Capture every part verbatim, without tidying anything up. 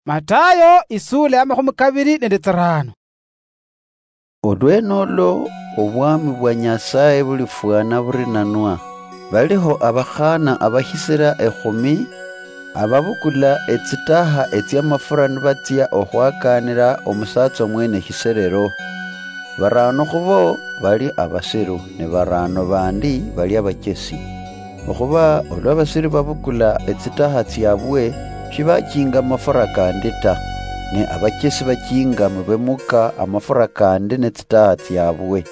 Matayo, isula ya makhumi kabiri nende tsirano. Olwene olwo obwami bwa Nyasaye bulifwana burinanwa. Baliho abakhana abakhisira ekhumi, ababukula etsitaha etsiamafura nibatsia okhwakanira omusatsa omwene eshiserero. Barano khubo bali abasiru, ne barano bandi bali abachesi. Okhuba olwa abasiru babukula etsitaha tsiabwe, shibachinga amafura kandi ta, ne abachesi bachinga mubemuka amafura kandi netsitaha tsiabwe.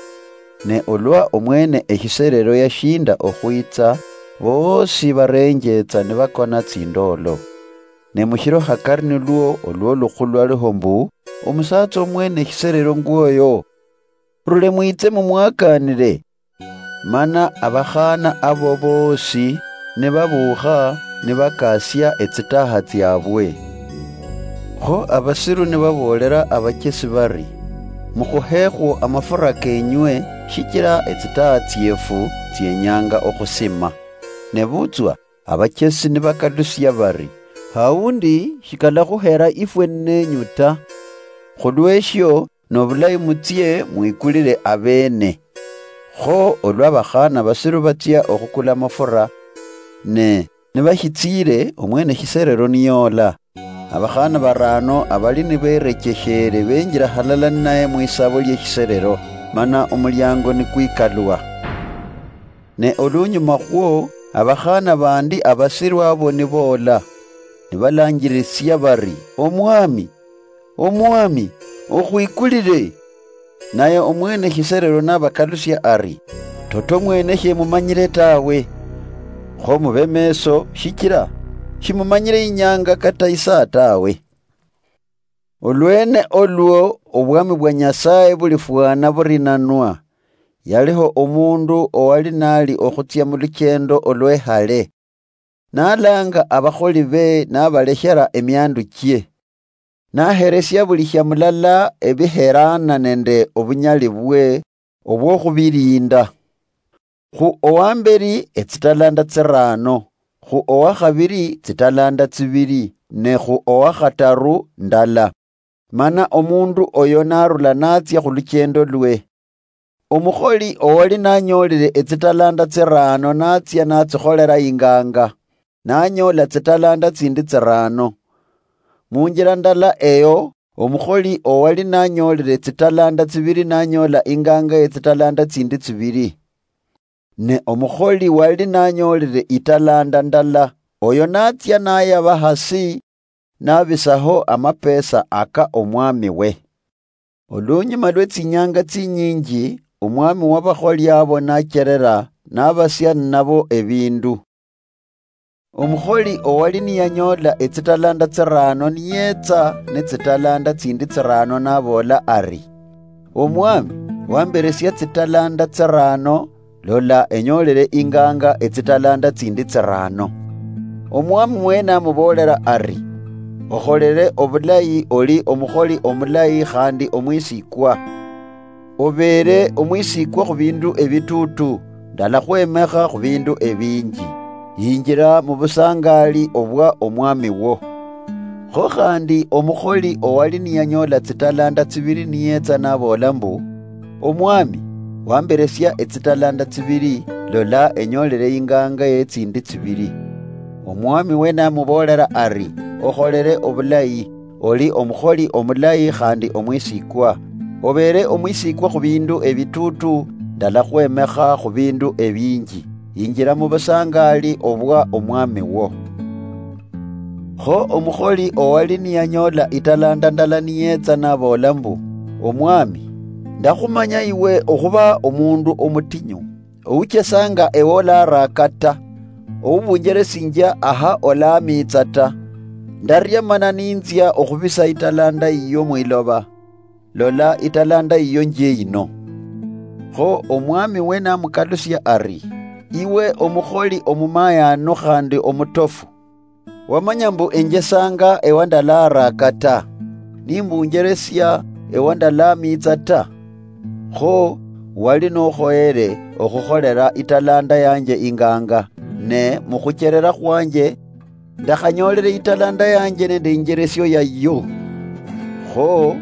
Ne olwa omwene eshiserero yashinda okhwitsa, boosi barenjetsa nibakona tsindolo. Ne mushiro hakari nilwo olwo lukhulu lwaliho mbu, omusatsa omwene eshiserero ngwoyo, rule mwitse mumwakanire. Mana abakhana abo boosi nibabuukha nibakasia etsitaha tsiabwe. Kho abasiru nibaboolera abachesi bari, mukhuhekhwo amafura kenywe, shichira etsitaha tsiefu tsienyanga okhusima. Nebutswa abachesi nibakalusia bari, haundi shikalakhuhera ifwe nenyu ta. Khulweshio nobulayi mutsie mwikulire abeene. Kho olwa abakhana basiru batsia okhukula amafura, ne nibashitsiire omwene shiserero niyoola, abakhana barano abali niberechesheere benjira halala ninaye mwisabo lieshiserero, mana omuliango nikwikalwa. Ne olunyuma khwo, abakhana bandi abasiru abo niboola, nibalanjirisia bari, Omwami, Omwami, okhwikulire! Naye omwene shiserero nabakalusia ari, toto mwene shemumanyire tawe. Kho mube meso, shichira shimumanyire inyanga kata isaa tawe. Olwene olwo obwami bwa Nyasaye bulifwana burinanwa. Yaliho omundu owali nali okhutsia muluchendo olwehale. Nalanga abakholi be nabaleshera emiandu chie. Naheresia buli shia mulala ebiheraana nende obunyali bwe obwokhubilinda. Khu owamberi etsitalanda tsirano, khu owakhabiri tsitalanda tsibiri, ne khu owakhataru ndala. Mana omundu oyo narula natsia khuluchendo lwe. Omukholi owali nanyoolile etsitalanda tsirano natsia natsikholela inganga, nanyoola tsitalanda tsindi tsirano. Munjila ndala eyo, omukholi owali nanyoolile tsitalanda tsibili nanyoola inganga yetsitalanda tsindi tsibili. Ne omukholi wali nanyoolile italanda ndala, oyo natsia nayaba hasi, nabisaho amapesa aka omwami we. Olunyuma lwe tsinyanga tsinyinji, omwami wabakholi abo nacherera, nabasia ninabo ebindu. Omukholi owali niyanyoola etsitalanda tsirano niyetsa netsitalanda tsindi tsirano naboola ari, Omwami, wamberesia tsitalanda tsirano, lola, enyoolele inganga etsitalanda tsindi tsirano. Omwami mwene amuboolera ari, okholele obulayi, oli omukholi omulayi khandi omwisikwa. Obeere omwisikwa khu bindu ebituutu, ndalakhwemekha khu bindu ebinji. Yinjira mu busangaali obwa omwami wo. Kho khandi omukholi owali niyanyoola tsitalanda tsibili niyetsa naboola mbu, Omwami, wamberesia etsitalanda tsibili, lola, enyoolele inganga ye tsindi tsibili. Omwami we namuboolera ari, okholele obulayi, oli omukholi omulayi khandi omwisikwa. Obeere omwisikwa khu bindu ebituutu, ndalakhwemekha khu bindu ebinji. Yinjira mu busangaali obwa omwami wo. Kho omukholi owali niyanyoola italanda ndala niyetsa naboola mbu, Omwami, ndakhumanya iwe okhuba omundu omutinyu, ouchesanga ewe olaraaka ta, oubunjeresinjia aha olamiitsa ta. Ndaria mana ninzia okhubisa italanda yiyo mwiloba. Lola, italanda yiyo njie yino. Kho omwami we namukalusia ari, iwe omukholi omumayanu khandi omutofu. Wamanya mbu enjesanga ewa ndalaraaka ta, nimbunjeresia ewa ndalamiitsa ta. Kho wali nokhoyere okhukholela italanda yanje inganga, ne mukhucherera khwanje ndakhanyoolere italanda yanje nende injeresio yayo. Kho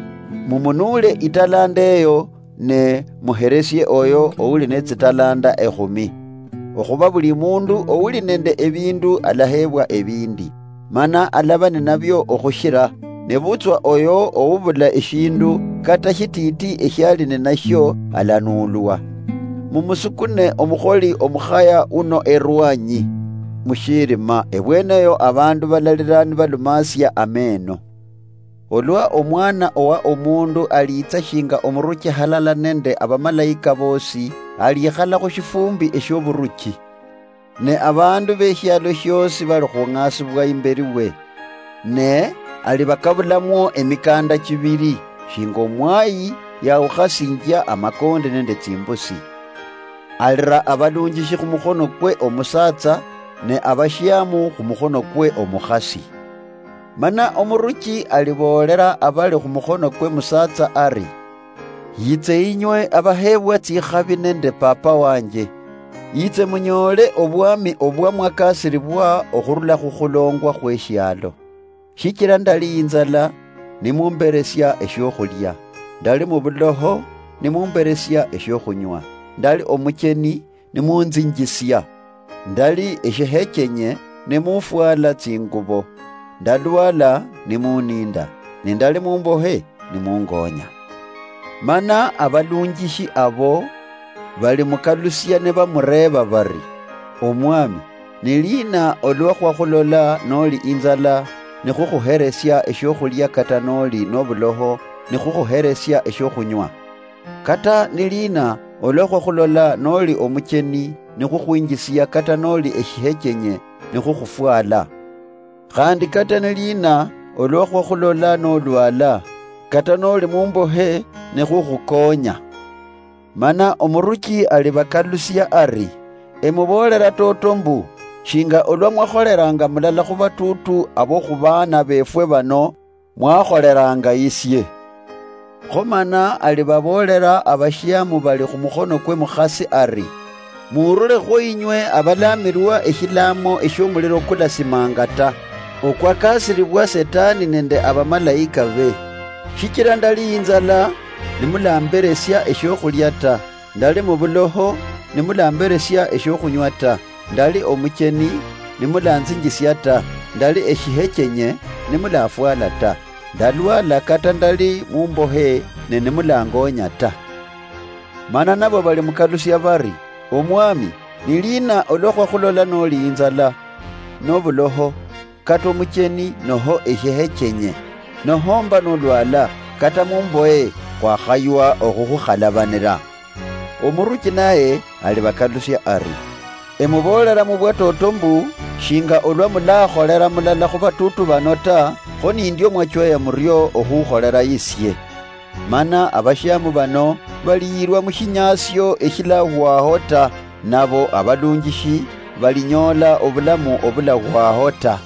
mumunuule italanda eyo, ne muheresie oyo ouli ne tsitalanda ekhumi. Okhuba buli mundu ouli nende ebindu alaheebwa ebindi, mana alaba ninabio okhushira, nebutswa oyo oubula eshindu kata shititi eshiali ninashio alanuulwa. Mumusukune omukholi omukhaya uno erwanyi mushirima, ebweneyo abandu balalira nibalumasia ameno. Olwa Omwana owa Omundu aliitsa shinga omuruchi halala nende abamalaika bosi, alikhala khushifumbi eshioburuchi. Ne abandu beshialo shiosi balikhung'asibwa imberi we. Ne alibakabulamwo emikanda chibiri, shinga omwayi yawukhasinjia amakonde nende tsimbusi. Alira abalunjishi khumukhono kwe omusatsa, ne abashiamu khumukhono kwe omukhasi. Mana omuruchi aliboolera abali khumukhono kwe musatsa ari, "Yitse inywe abaheebwa tsikhabi nende Papa wanje, yitse munyoole obwami obwa mwakasiribwa okhurula khukhulongwa khweshialo. Shichira ndali inzala, nimumberesia eshiokhulia, ndali mubuloho, nimumberesia eshiokhunywa, ndali omucheni, nimunzinjisia, ndali eshihechenye, nimufwala tsingubo, ndalwala, nimuninda, nindali mumbohe, nimungonya." Mana abalunjishi abo balimukalusia nibamureeba bari, "Omwami, ni lina olwa khwakhulola noli inzala, nikhukhuheresia eshiokhulia, kata noli nobuloho, nikhukhuheresia eshiokhunywa? Kata ni lina olwa khwakhulola noli omucheni, nikhukhwinjisia, kata noli eshihechenye, nikhukhufwala? Khandi kata ni lina olwa khwakhulola nolwala, kata noli mumbohe, nikhukhukonya?" Mana omuruchi alibakalusia ari, "Emuboolera toto mbu, shinga olwa mwakholeranga mulala khubatutu abo khubaana befwe bano, mwakholeranga isie." Kho mana alibaboolera abashiamu bali khumukhono kwe mukhasi ari, "Murulekhwo inywe abalamirwa eshilaamo eshiomuliro kulasimanga ta, okwakasiribwa Setani nende abamalaika be. Shichira ndali inzala, nimulamberesia eshiokhulia ta, ndali mubuloho, nimulamberesia eshiokhunywa ta, ndali omucheni, nimulanzinjisia ta, ndali eshihechenye, nimulafwala ta, ndalwala kata ndali mumbohe, ne nimulangonya ta." Mana nabo balimukalusia bari, "Omwami, ni lina olwa khwakhulola noli inzala, nobuloho, kata omucheni, noho eshihechenye, nohomba nolwala, kata mumbohe, khwakhaywa okhukhukhalabana?" Omuruchi naye alibakalusia ari, "Emuboolera mubwatoto mbu, shinga olwa mulakholera mulala khubatutu bano ta, kho nindio mwachweya murio okhukholera isie." Mana abashiamu bano baliyirwa mushinyasio eshilahwaho ta, nabo abalunjishi balinyoola obulamu obulahwaho ta.